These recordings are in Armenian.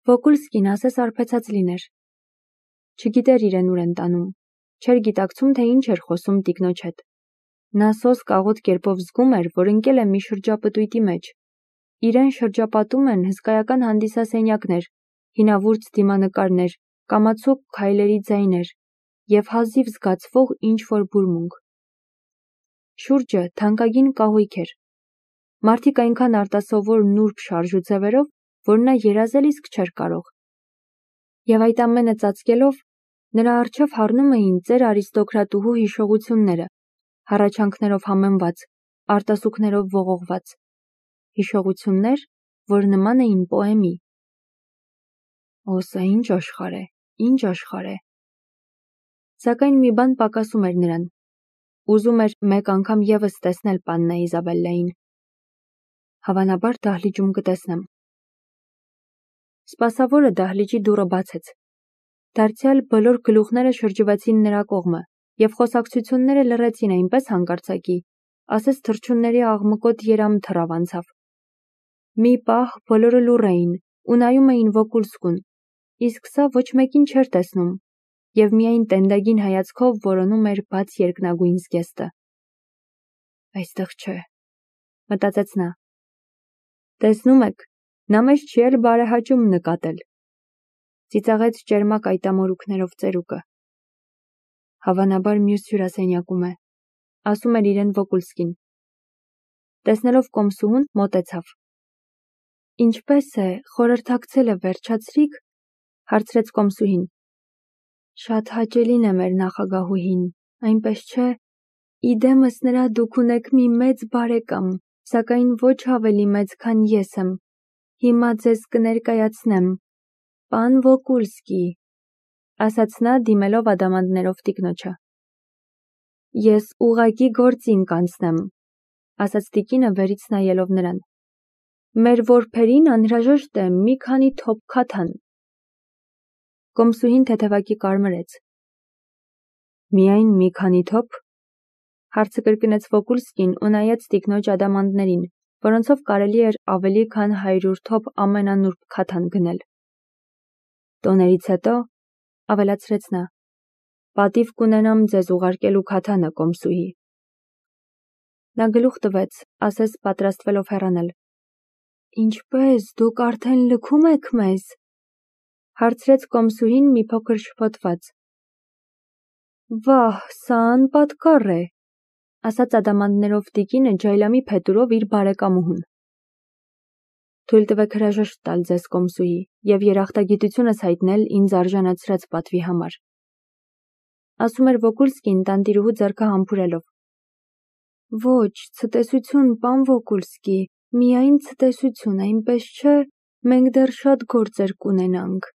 Վոկուլսկին ասես արբեցած լիներ։ Չգիտեր իրեն ուր են տանում, չէր գիտակցում, թե ինչ էր խոսում տիկնոջ հետ։ Նա սոսկ աղոտ կերպով զգում էր, որ ընկել է մի շրջապտույտի մեջ։ Իրեն շրջապատում են հսկայական հանդիսասենյակներ, հինավուրց դիմանկարներ, կամացոկ քայլերի ձայներ և հազիվ զգացվող ինչ-որ բուրմունք։ Շուրջը թանկագին կահույք էր։ Մարդիկ այնքան արտասովոր նուրբ շարժ ու ձևերով, որ նա երազել իսկ չէր կարող։ Եվ այդ ամենը ծածկելով, նրա առջև հառնում էին ծեր արիստոկրատուհու հիշողությունները, հառաչանքներով համեմված, արտասուքներով ողողված։ Հիշողություններ, որ նման էին պոեմի։ Օ, սա ինչ աշխարհ է, ինչ աշխարհ է։ Սակայն մի բան պակասում էր նրան։ Ուզում էր մեկ անգամ ևս տեսնել պաննա Իզաբելլային։ Հավանաբար դահլիճում կտեսնեմ։ Սպասավորը դահլիճի դուռը բացեց։ Դարձյալ բոլոր գլուխները շրջվեցին նրա կողմը, և խոսակցությունները լռեցին այնպես հանկարծակի, ասես թռչունների աղմկոտ երամ թռավ անցավ։ Մի պահ բոլորը լուռ էին ու նայում էին Վոկուլսկուն, իսկ սա ոչ մեկին չէր տեսնում, և միայն տենդագին հայացքով որոնում էր բաց երկնագույն զգեստը։ Այստեղ չէ, մտածեց նա։ Տեսնում եք, նա մեզ չի էլ բարեհաճում նկատել։ Ծիծաղեց ճերմակ այտամորուքներով ծերուկը։ Հավանաբար մյուս հյուրասենյակում է, ասում էր իրեն Վոկուլսկին։ Տեսնելով կոմսուհուն, մոտեցավ։ Ինչպես է, խորհրդակցելը վերջացրիք, հարցրեց կոմսուհին։ Շատ հաճելին է մեր նախագահուհին, այնպես չէ, իդեմս նրա դուք ունեք մի մեծ բարեկամ, սակայն ոչ ավելի մեծ, քան ես եմ։ Հիմա ձեզ կներկայացնեմ, պան Վոկուլսկի, ասաց նա, դիմելով ադամանդներով տիկնոջը։ Ես ուղղակի գործին կանցնեմ, ասաց տիկինը վերից նայելով նրան։ Մեր որբերին անհրաժեշտ է մի քանի թոփ քաթան։ Կոմսուհին թեթևակի կարմրեց։ Միայն մի քանի թոփ, հարցը կրկնեց Վոկուլսկին ու նայեց տիկնոջ ադամանդներին, որոնցով կարելի էր ավելի քան 100 թոփ ամենանուրբ քաթան գնել։ Տոներից հետո, ավելացրեց նա, պատիվ կունենամ ձեզ ուղարկելու քաթանը, կոմսուհի։ Նա գլուխ տվեց, ասես պատրաստվելով հեռանալ։ Ինչպե՞ս, դուք արդեն լքում եք մեզ, հարցրեց կոմսուհին մի փոքր շփոթված։ Վահ, սա անպատկառ է, ասաց ադամանդներով տիկինը ջայլամի փետուրով իր բարեկամուհուն։ Թույլ տվեք հրաժեշտ տալ ձեզ, կոմսուհի, և երախտագիտությունս հայտնել ինձ արժանացրած պատվի համար, ասում էր Վոկուլսկին տանտիրուհու ձեռքը համբուրելով։ Ոչ, ցտեսություն, պան Վոկուլսկի, միայն ցտեսություն, այնպես չէ, մենք դեռ շատ գործեր կունենանք։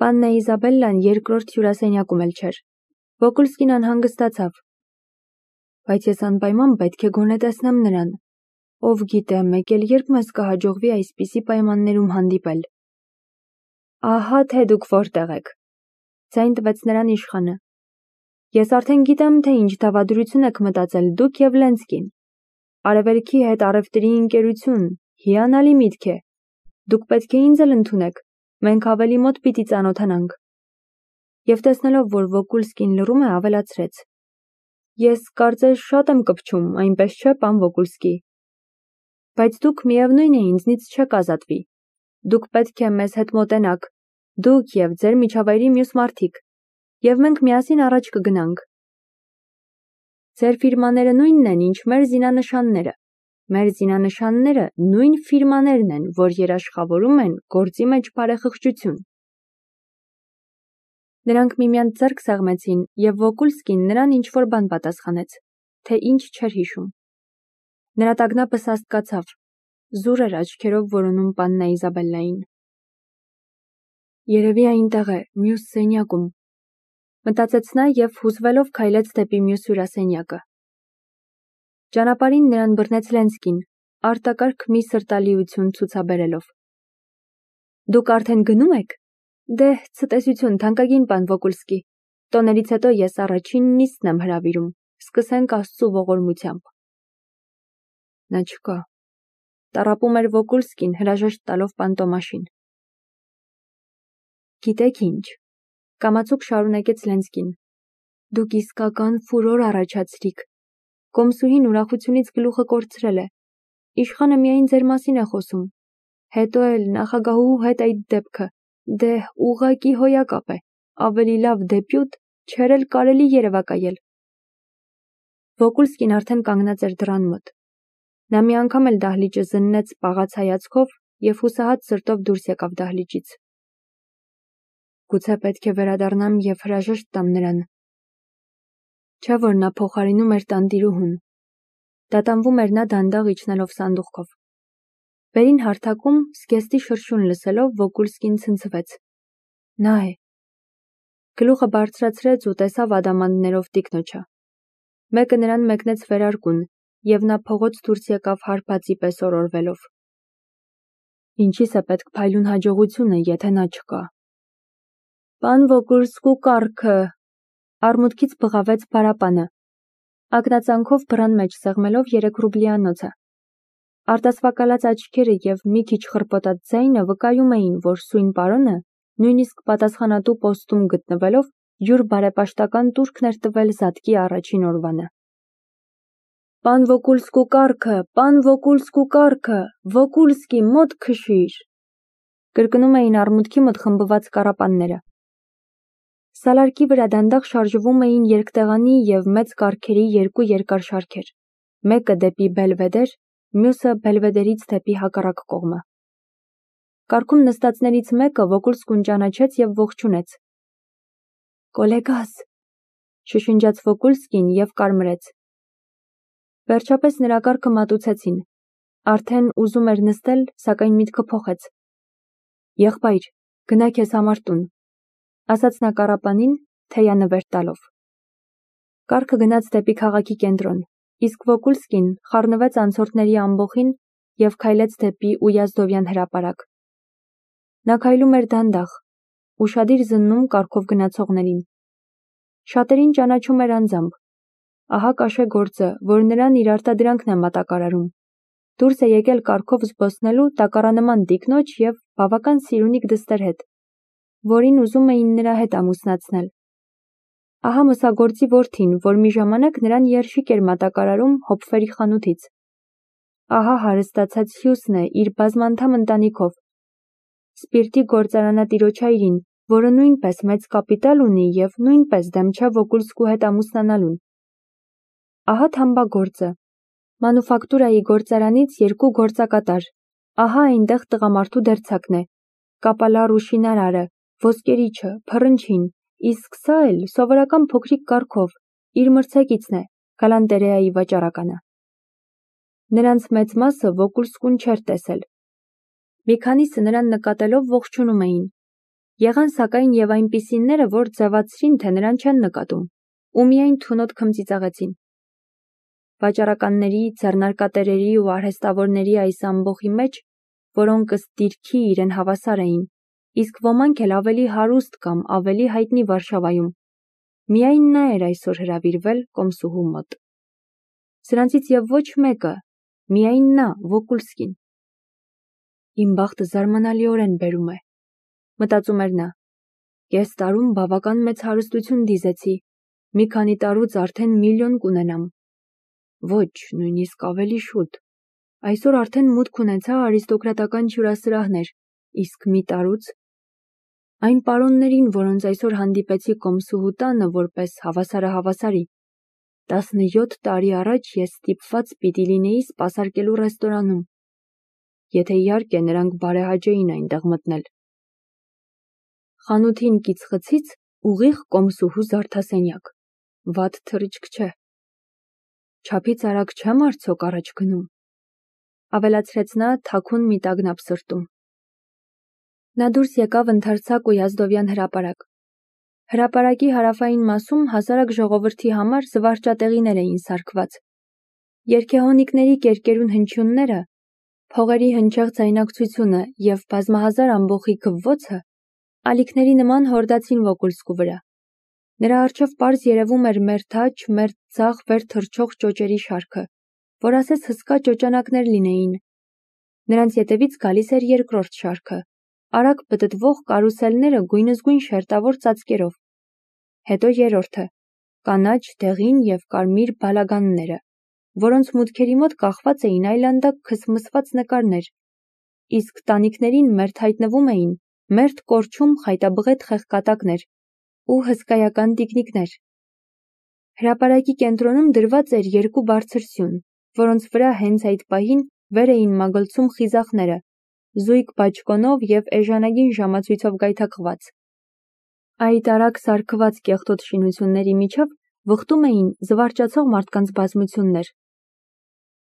Պաննա Իզաբելլան երկրորդ հյուրասենյակում էլ չէր։ Վոկուլսկին անհանգստացավ։ Բայց ես անպայման պետք է գոնե տեսնեմ նրան։ Ով գիտե, մեկ էլ երբ մեզ կհաջողվի այսպիսի պայմաններում հանդիպել։ Ահա թե դուք որտեղ եք, ձայն տվեց նրան իշխանը։ Ես արդեն գիտեմ, թե ինչ դավադրություն եք մտածել դուք և Լենսկին։ Արևելքի հետ առևտրի ընկերություն, հիանալի միտք է։ Դուք պետք է ինձ էլ ընդունեք, մենք ավելի մոտ պիտի ծանոթանանք։ Եվ տեսնելով, որ Վոկուլսկին լռում է, ավելացրեց. Ես կարծես շատ եմ կպչում, այնպես չէ, պան Վոկուլսկի։ Բայց դուք միևնույն է ինձնից չեք ազատվի։ Դուք պետք է մեզ հետ մոտենաք, դուք և ձեր միջավայրի մյուս մարդիկ, և մենք միասին առաջ կգնանք։ Ձեր ֆիրմաները նույնն են, ինչ մեր զինանշանները։ Մեր զինանշանները նույն ֆիրմաներն են, որ երաշխավորում են գործի մեջ բարեխղճություն։ Նրանք միմյանց ձեռք սեղմեցին, և Վոկուլսկին նրան ինչ-որ բան պատասխանեց, թե ինչ չէր հիշում։ Նրա տագնապը սաստկացավ, զուր էր աչքերով որոնում պաննա Իզաբելլային։ Երևի այնտեղ է, մյուս սենյակում, մտածեց նա և հուզվելով քայլեց դեպի մյուս հյուրասենյակը։ Ճանապարհին նրան բռնեց Լենսկին, արտակարգ մի սրտալիություն ցուցաբերելով։ Դուք արդեն գնում եք։ Դե, ցտեսություն, թանկագին պան Վոկուլսկի։ Տոներից հետո ես առաջին նիստն եմ հրավիրում, սկսենք Աստծու ողորմությամբ։ Նա չկա։ տառապում էր Վոկուլսկին հրաժեշտ տալով Պանտոմաշին։ Գիտեք ինչ, կամացուկ շարունակեց Լենսկին, դուք իսկական ֆուրոր առաջացրիք։ Կոմսուհին ուրախությունից գլուխը կորցրել է։ Իշխանը միայն ձեր մասին է խոսում։ Հետո էլ նախագահուհու հետ այդ դեպքը, դե ուղղակի հոյակապ է, ավելի լավ դեպյուտ, չէր էլ կարելի երևակայել։ Վոկուլսկին արդեն կանգնած էր դռան մոտ։ Նա մի անգամ էլ դահլիճը զննեց պաղած հայացքով և հուսահատ սրտով դուրս եկավ դահլիճից։ Գուցե պետք է վերադառնամ և հրաժեշտ տամ նրան։ Չէ՞ որ նա փոխարինում էր տանտիրուհուն։ Դատանվում էր նա դանդաղ իջնելով սանդուղքով։ Վերին հարթակում զգեստի շրշյուն լսելով Վոկուլսկին ցնցվեց։ Նա է։ Գլուխը բարձրացրեց ու տեսավ ադամանդներով տիկնոջը։ Մեկը նրան մեկնեց վերարկուն, և նա փողոց դուրս եկավ հարբածի պես օրորվելով։ Ինչիս է պետք փայլուն հաջողությունը, եթե նա չկա։ Պան Վոկուլսկու կառքը, արմունկից բղավեց բարապանը, ակնածանքով բռան մեջ սեղմելով 3 ռուբլիանոցը։ Արտասվակալած աչքերը և մի քիչ խռպոտած ձայնը վկայում էին, որ սույն պարոնը, նույնիսկ պատասխանատու պոստում գտնվելով, յուր բարեպաշտական տուրքն էր տվել զատկի առաջին օրվանը։ Պան Վոկուլսկու կառքը, պան Վոկուլսկու կառքը, Վոկուլսկի, մոտ քշիր, կրկնում էին արմունկի մոտ խմբված կառապանները։ Սալարկի վրա դանդաղ շարժվում էին երկտեղանի և մեծ կառքերի 2 երկար շարքեր, մեկը դեպի Բելվեդեր, մյուսը Բելվեդերից դեպի հակառակ կողմը։ Կառքում նստածներից մեկը Վոկուլսկուն ճանաչեց և ողջունեց։ Կոլեգաս, շշնջաց Վոկուլսկին և կարմրեց։ Վերջապես նրա կառքը մատուցեցին։ Արդեն ուզում էր նստել, սակայն միտքը փոխեց։ Եղբայր, գնա քեզ համար տուն, ասաց նա կառապանին, թեյանվեր տալով։ Կառքը գնաց դեպի քաղաքի կենտրոն, իսկ Վոկուլսկին խառնվեց անցորդների ամբոխին և քայլեց դեպի Ույազդովյան հրապարակ։ Նա քայլում էր դանդաղ, ուշադիր զննում կառքով գնացողներին։ Շատերին ճանաչում էր անձամբ։ Ահա կաշե գործը, որ նրան իր արտադրանքն է մատակարարում։ Դուրս է եկել կառքով զբոսնելու տակառանման տիկնոջ և բավական սիրունիկ դստեր հետ, որին ուզում էին նրա հետ ամուսնացնել։ Ահա մսագործի որդին, որ մի ժամանակ նրան երշիկ էր մատակարարում հոպվերի խանութից։ Ահա հարստացած հյուսն է իր բազմանդամ ընտանիքով։ Սպիրտի գործարանատիրոջ հայրին, որը նույնպես մեծ կապիտալ ունի և նույնպես դեմ չէ Վոկուլսկու հետ ամուսնանալուն։ Ահա թամբագործը, մանուֆակտուրայի գործարանից 2 գործակատար, ահա այնտեղ տղամարդու դերձակն է, կապալառ ու շինարարը, ոսկերիչը, փռնչին, իսկ սա էլ սովորական փոքրիկ կառքով, իր մրցակիցն է, գալանտերեայի վաճառականը։ Նրանց մեծ մասը Վոկուլսկուն չէր տեսել։ Մի քանիսը նրան նկատելով ողջունում էին։ Եղան սակայն և այնպիսիները, որ ձևացրին, թե նրան չեն նկատում, ու միայն թունոտ քմծիծաղեցին։ Վաճառականների, ձեռնարկատերերի ու արհեստավորների այս ամբոխի մեջ, որոնք ըստ դիրքի իրեն հավասար էին, իսկ ոմանք էլ ավելի հարուստ կամ ավելի հայտնի Վարշավայում, միայն նա էր այսօր հրավիրվել Կոմսուհու մոտ։ Սրանցից և ոչ մեկը, միայն նա, Վոկուլսկին։ Իմ բախտը զարմանալիորեն բերում է, մտածում էր նա։ Կես տարում բավական մեծ հարստություն դիզեցի, մի քանի տարուց արդեն միլիոն կունենամ։ Ոչ, նույնիսկ ավելի շուտ։ Այսօր արդեն մուտք ունեցա արիստոկրատական հյուրասրահներ, իսկ մի տարուց այն պարոններին, որոնց այսօր հանդիպեցի Կոմսուհու տանը որպես հավասարը հավասարի, 17 տարի առաջ ես ստիպված պիտի լինեի սպասարկելու ռեստորանում, եթե իհարկե նրանք բարեհաճ էին այնտեղ մտնել։ Խանութին կիցխցից ուղիղ Կոմսուհու զարդասենյակ, վատ թռիչք չէ։ Չափից արագ չեմ արդյոք առաջ գնում, ավելացրեց նա թաքուն մի տագնապ սրտում։ Նա դուրս եկավ ընդարձակ Ույազդովյան հրապարակ։ Հրապարակի հարավային մասում հասարակ ժողովրդի համար զվարճատեղիներ էին սարքված։ Երգեհոնիկների կերկերուն հնչյունները, փողերի հնչեղ ձայնակցությունը և բազմահազար ամբոխի քվվոցը ալիքների նման հորդացին Վոկուլսկու վրա։ Նրա առջև պարզ երևում էր մերթ աջ, մերթ ձախ վեր թռչող ճոճերի շարքը, որ ասես հսկա ճոճանակներ լինեին, Նրանց ետևից գալիս էր երկրորդ շարքը, արագ պտտվող կարուսելները գույնզգույն շերտավոր ծածկերով։ Հետո երրորդը, կանաչ, դեղին և կարմիր բալագանները, որոնց մուտքերի մոտ կախված էին այլանդակ քսմսված նկարներ, իսկ տանիքներին մերթ հայտնվում էին մերթ կորչում խայտաբղետ խեղկատակներ ու հսկայական տիկնիկներ։ Հրապարակի կենտրոնում դրված էր երկու բարձր սյուն, որոնց վրա հենց այդ պահին վեր էին մագլցում խիզախները, զույգ բաճկոնով և էժանագին ժամացույցով գայթակղված։ Այդ արագ սարքված կեղտոտ շինությունների միջև վխտում էին զվարճացող մարդկանց բազմություններ։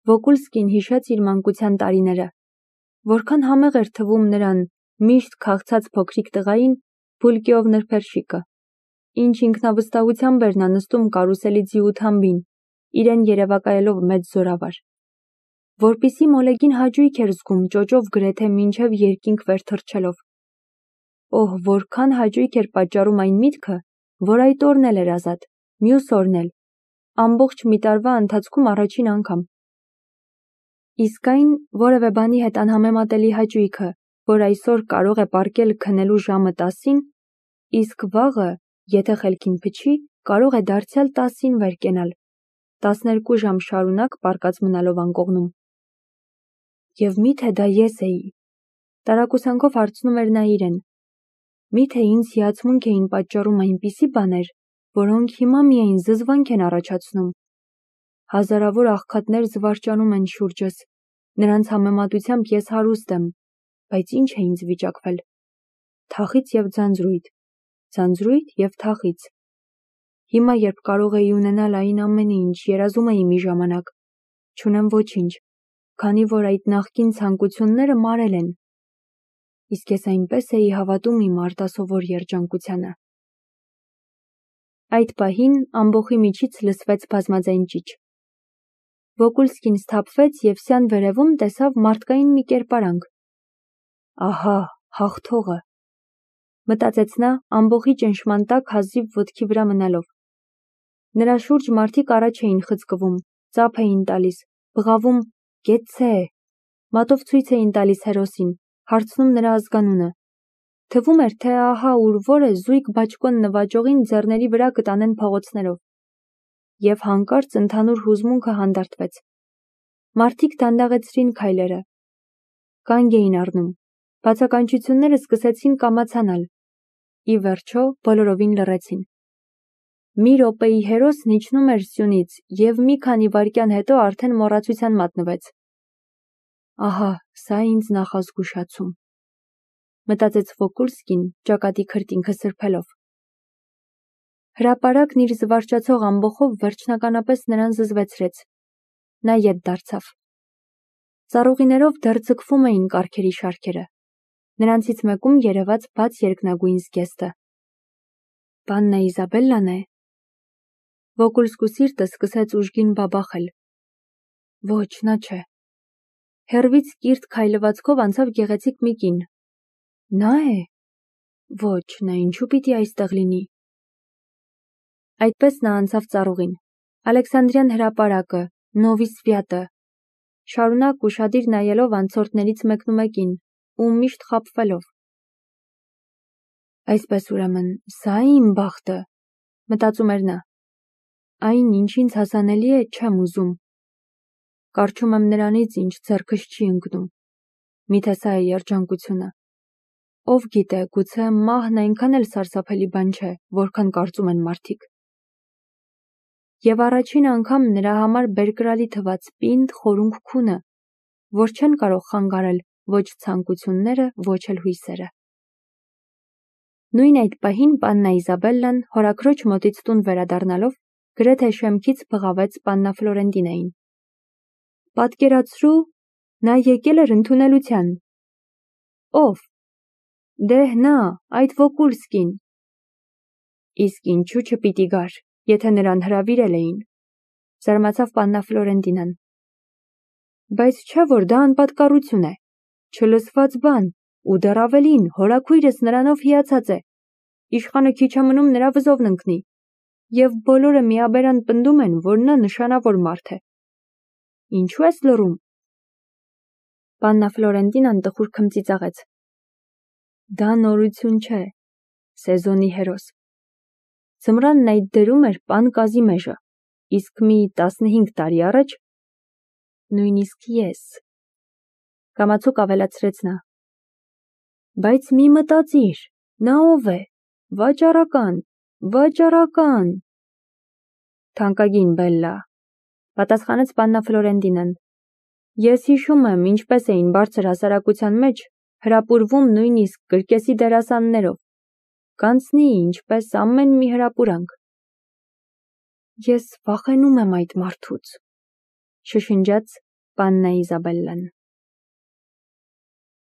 Վոկուլսկին հիշեց իր մանկության տարիները, որքան համեղ էր թվում նրան միշտ քաղցած փոքրիկ տղային Փուլկիով նրբերշիկը, ինչ ինքնավստահությամբ էր նա նստում կարուսելի ձիու թամբին, իրեն երևակայելով մեծ զորավար, որպիսի մոլեգին հաճույք էր զգում ճոճով գրեթե մինչև երկինք վեր թռչելով։ Օհ, որքան հաճույք էր պատճառում այն միտքը, որ այդ օրն էլ էր ազատ, մյուս օրն էլ, ամբողջ մի տարվա ընթացքում առաջին անգամ։ Իսկ այն որևէ բանի հետ անհամեմատելի հաճույքը, որ այսօր կարող է պառկել քնելու ժամը 10-ին, իսկ վաղը, եթե խելքին փչի, կարող է դարձյալ 10-ին վեր կենալ, 12 ժամ շարունակ պառկած մնալով անկողնում։ Եվ միթե դա ես էի, տարակուսանքով հարցնում էր նա իրեն, միթե ինձ հիացմունք էին պատճառում այնպիսի բաներ, որոնք հիմա միայն զզվանք են առաջացնում։ Հազարավոր աղքատներ զվարճանում են շուրջս, նրանց համեմատությամբ ես հարուստ եմ, բայց ինչ է ինձ վիճակվել։ Թախիծ և ձանձրույթ և թախիծ։ Հիմա, երբ կարող էի ունենալ այն ամենը, ինչ երազում էի մի ժամանակ, չունեմ ոչինչ, քանի որ այդ նախկին ցանկությունները մարել են։ Իսկ ես այնպես էի հավատում իմ արտասովոր երջանկությանը։ Այդ պահին ամբոխի միջից լսվեց բազմաձայն ճիչ։ Վոկուլսկին սթափվեց և սյան վերևում տեսավ մարդկային մի կերպարանք։ Ահա, հաղթողը, մտածեց նա ամբոխի ճնշման տակ հազիվ ոտքի վրա մնալով։ Նրա շուրջ մարդիկ առաջ էին խցկվում, ծափ էին տալիս, բղավում «Կեցցե», մատով ցույց էին տալիս հերոսին, հարցնում նրա ազգանունը։ Թվում էր, թե ահա ուր որ է զույգ բաճկոն նվաճողին ձեռների վրա կտանեն փողոցներով։ Եվ հանկարծ ընդհանուր հուզմունքը հանդարտվեց։ Մարդիկ դանդաղեցրին քայլերը։ Կանգ էին առնում, բացականչությունները սկսեցին կամացանալ։ Ի վերջո բոլորովին լռեցին։ Մի րոպեի հերոսն իջնում էր սյունից և մի քանի վայրկյան հետո արդեն մոռացության մատնվեց։ Ահա, սա ինձ նախազգուշացում, մտածեց Վոկուլսկին, ճակատի քրտինքը սրբելով։ Հրապարակն իր զվարճացող ամբոխով վերջնականապես նրան զզվեցրեց։ Նա ետ դարձավ։ Ծառուղիներով դեռ ձգվում էին կառքերի շարքերը։ Նրանցից մեկում երևաց բաց երկնագույն զգեստը։ Պաննա Իզաբելլան է։ Վոկուլսկու սիրտը սկսեց ուժգին բաբախել։ Ոչ, նա չէ։ Հեռվից կիրթ քայլվածքով անցավ գեղեցիկ մի կին։ Նա է։ Ոչ, նա ինչու պիտի այստեղ լինի։ Այդպես նա անցավ ծառուղին, Ալեքսանդրյան հրապարակը, Նովի Սվյատը, շարունակ ուշադիր նայելով անցորդներից մեկնումեկին ու միշտ խաբվելով։ Այսպես ուրեմն, սա է իմ բախտը, մտածում էր նա։ Այն, ինչ ինձ հասանելի է, չեմ ուզում։ Կառչում եմ նրանից, ինչ ձեռքս չի ընկնում։ Միթե սա է երջանկությունը։ Ով գիտե, գուցե մահն այնքան էլ սարսափելի բան չէ, որքան կարծում են մարդիկ։ Եվ առաջին անգամ նրա համար բերկրալի թվաց պինդ խորունգ քունը, որ չեն կարող խանգարել ոչ ցանկությունները, ոչ էլ հույսերը։ Նույն այդ պահին Պաննա Իզաբելլան հորաքրոջ մոտից տուն վերադառնալով գրեթե շեմքից բղավեց Պաննա Ֆլորենտինային։ Պատկերացրու, նա եկել էր ընդունելության։ Ով։ Դե նա, այդ Վոկուլսկին։ Իսկ ինչու չպիտի գար, եթե նրան հրավիրել էին, զարմացավ Պաննա Ֆլորենտինան։ Բայց չէ՞ որ դա անպատկառություն է, չլսված բան, ու դեռ ավելին, հորաքույրս նրանով հիացած է։ Իշխանը քիչ է մնում նրա վզովն ընկնի։ Եվ բոլորը միաբերան պնդում են, որ նա նշանավոր մարդ է։ Ինչու ես լռում։ Պաննա Ֆլորենտինան տխուր քմծիծաղեց. Դա նորություն չէ, սեզոնի հերոս։ Ձմռանն այդ դերում էր պան Կազիմեժը, իսկ մի 15 տարի առաջ նույնիսկ ես։ Կամացուկ ավելացրեց նա. Բայց մի մտածիր, նա ով է, վաճառական։ Թանկագին Բելլա, պատասխանեց պաննա Ֆլորենտինան։ Ես հիշում եմ, ինչպես էին բարձր հասարակության մեջ հրապուրվում նույնիսկ կրկեսի դերասաններով, կանցնի ինչպես ամեն մի հրապուրանք։ Ես վախենում եմ այդ մարդուց, շշնջաց պաննա Իզաբելլան։